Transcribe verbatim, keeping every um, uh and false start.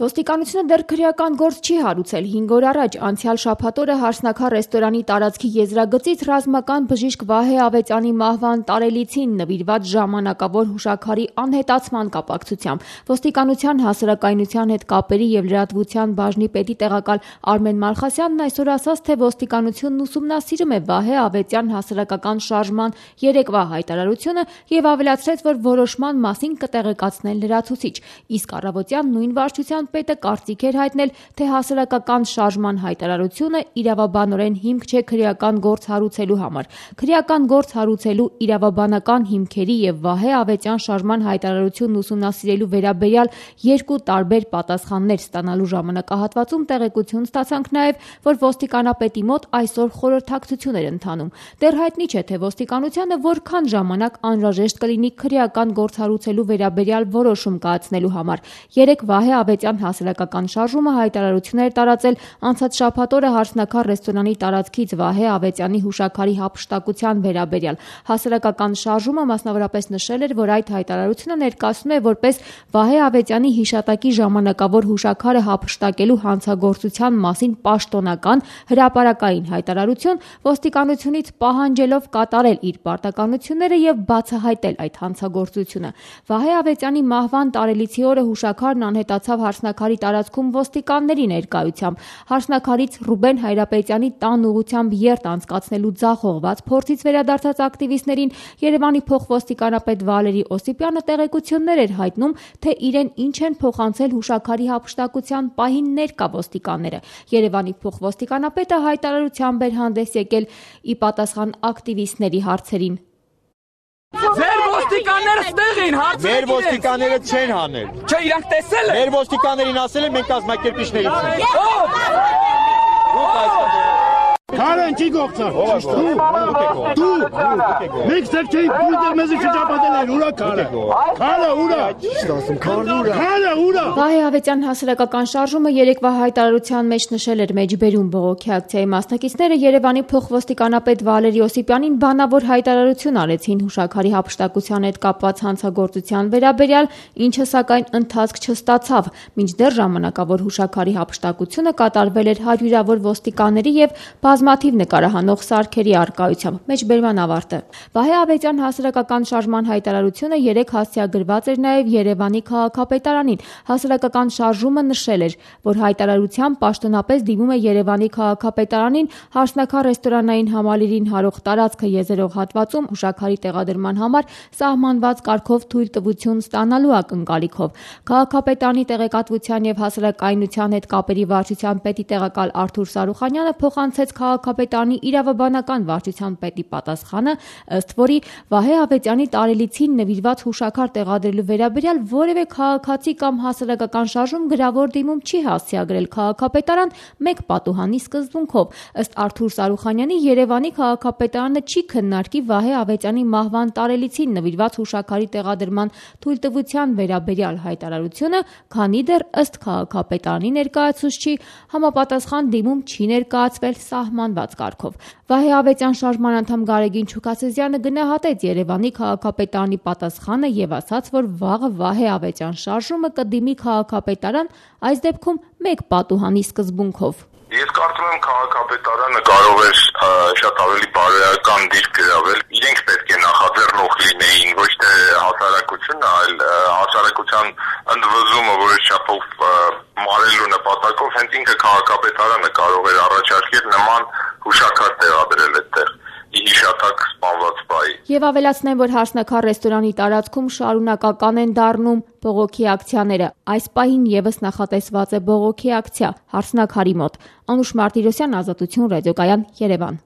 Ոստիկանությունը դեռ քրեական գործ չի հարուցել։ հինգ օր առաջ անցյալ շաբաթ օրը Հարսնաքար ռեստորանի տարածքի եզրագծից ռազմական բժիշկ Վահե Ավետյանի մահվան տարելիցին նվիրված ժամանակավոր հուշաքարի անհետացման կապակցությամբ ոստիկանության հասարակայնության հետ կապերի և լրատվության բաժնի պետի տեղակալ Արմեն Մալխասյանն այսօր ասաց, թե ոստիկանությունն ուսումնասիրում է Վահե Ավետյան հասարակական շարժման երեկվա հայտարարությունը և ավելացրեց, որ որոշման մասին կտեղեկացնեն լրացուցիչ, իսկ առավոտյան նույն վարչության պետը կարծիք էր հայտնել, թե հասարակական շարժման հայտարարությունը իրավաբանորեն հիմք չէ քրեական գործ հարուցելու համար։ Քրեական գործ հարուցելու իրավաբանական հիմքերի և Վահե Ավետյան շարժման հայտարարությունն ուսումնասիրելու վերաբերյալ երկու տարբեր պատասխաններ ստանալու ժամանակահատվածում տեղեկություն ստացանք նաև, որ ոստիկանապետի մոտ այսօր խորհրդակցություն էր ընթանում։ Դեռ հայտնի չէ, թե ոստիկանությանը որքան ժամանակ անհրաժեշտ կլինի քրեական գործ հարուցելու վերաբերյալ որոշում կայացնելու համար։ Երեկ Վահե Ավետյան հասարակական շարժումը հայտարարություն էր տարածել անցած շաբաթ օրը Հարսնաքար ռեստորանի տարածքից Վահե Ավետյանի հուշաքարի հափշտակության վերաբերյալ։ Հասարակական շարժումը մասնավորապես նշել էր, որ այդ հայտարարությունը ներկայացնում է որպես Վահե Ավետյանի հիշատակի ժամանակավոր հուշաքարը հափշտակելու հանցագործության մասին պաշտոնական հրապարակային հայտարարություն, ոստիկանությունից պահանջելով կատարել իր պարտականությունները և բացահայտել այդ հանցագործությունը։ Վահե Ավետյանի մահվան տարելիցի օրը հուշաքարն անհետացավ Հարսնաքարի տարածքում ոստիկանների ներկայությամբ։ Հարսնաքարից Ռուբեն Հայրապետյանի տան ուղղությամբ երթ անցկացնելու ձախողված փորձից վերադարձած ակտիվիստներին Երևանի փոխոստիկանապետ Վալերի Օսիպյանը տեղեկություններ էր հայտնում, թե իրեն ինչ են փոխանցել հուշաքարի հափշտակության պահին ներկա ոստիկանները։ Երևանի փոխոստիկանապետը հայտարարությամբ էր հանդես եկել ի պատասխան ակտիվիստների հարցերին։ Ձեր ոստիկանները ստեղ են, հարցը Մեր ոստիկանները չեն հանել։ Չէ, իրանք տեսել են։ Մեր ոստիկաններին ասել են մենք կազմակերպիչներից ենք։ Քարը ինչի գործար։ Դու, մեկ սերքեի դու դեր մեզ շրջապատել են, ուրա քարը։ Քարը ուրա։ Քարը ուրա։ Վահե Ավետյան հասարակական շարժումը երեկվա հայտարարության մեջ նշել էր մեջբերում բողոքի ակցիայի մասնակիցները Երևանի փոխոստիկանապետ Վալերի Օսիպյանին բանավոր հայտարարություն արեցին հուշաքարի հափշտակության հետ կապված հանցագործության վերաբերյալ, ինչը սակայն ընթացք չստացավ, մինչդեռ ժամանակավոր հուշաքարի հափշտակությունը կատարվել էր հարյուրավոր ոստիկանների և բազմաթիվ նկարահանող սարքերի առկայությամբ։ Մեջբերման ավարտը։ Վահե Ավետյան հասարակական շարժման հայտարարությունը երեկ հասցեագրված էր նաև Երևանի քաղաքապետարանին։ Հասարակական շարժումը նշել էր, որ հայտարարությամբ պաշտոնապես դիմում է Երևանի քաղաքապետարանին Հարսնաքար ռեստորանային համալիրին հարող տարածքը եզերող հատվածում հուշաքարի տեղադրման համար սահմանված կարգով թույլտվություն ստանալու ակնկալիքով։ Քաղաքապետարանի տեղեկատվության և հասարակայնության հետ կապերի վարչության պետի տեղակալ Արթուր Սարուխանյանը փոխանցեց քաղաքապետարանի իրավաբանական վարչության պետի պատասխանը, ըստ որի Վահե Ավետյանի տարելիցին նվիրված հուշաքար տեղադրելու վերաբերյալ որևէ քաղաքացի կամ հասարակական շարժում գրավոր դիմում չի հասցեագրել քաղաքապետարան մեկ պատուհանի սկզբունքով։ Ըստ Արթուր Սարուխանյանի Երևանի քաղաքապետարանը չի քննարկի Վահե Ավետյանի մահվան տարելիցին նվիրված հուշաքարի տեղադրման թույլտվության վերաբերյալ հայտարարությունը, քանի դեռ ըստ քաղաքապետարանի ներկայացուցչի համապատասխան դիմում չի ներկայացվել սահմանված կարգով։ Վահե Ավետյան շարժման անդամ Գարեգին Չուկասեզյանը գնահատեց Երևանի քաղաքապետարանի պատասխանը և ասաց, որ վաղը Վահե Ավետյան շարժումը կդիմի քաղաքապետարան, այս դեպքում մեկ պատուհանի սկզբունքով։ Ես կարծում եմ քաղաքապետարանը կարող էր շատ ավելի բարոյական դիրք գրավել։ Իրենք պետք է նախաձեռնող լինեին, ոչ թե հասարակությունը, այլ հասարակության ընդվզումը որոշ չափով մարելու նպատակով հենց ինքը քաղաքապետարանը կարող էր առաջարկել նման հուշաքար տեղադրել այդտեղ ի հիշատակ սպանված բայի։ Եվ ավելացնեմ, որ Հարսնաքար ռեստորանի տարածքում շարունակական են դառնում բողոքի ակցիաները։ Այս պահին ևս նախատեսված է բողոքի ակցիա Հարսնաքարի մոտ։ Անուշ Մարտիրոսյան, Ազատություն, ռադիոկայան, Երևան։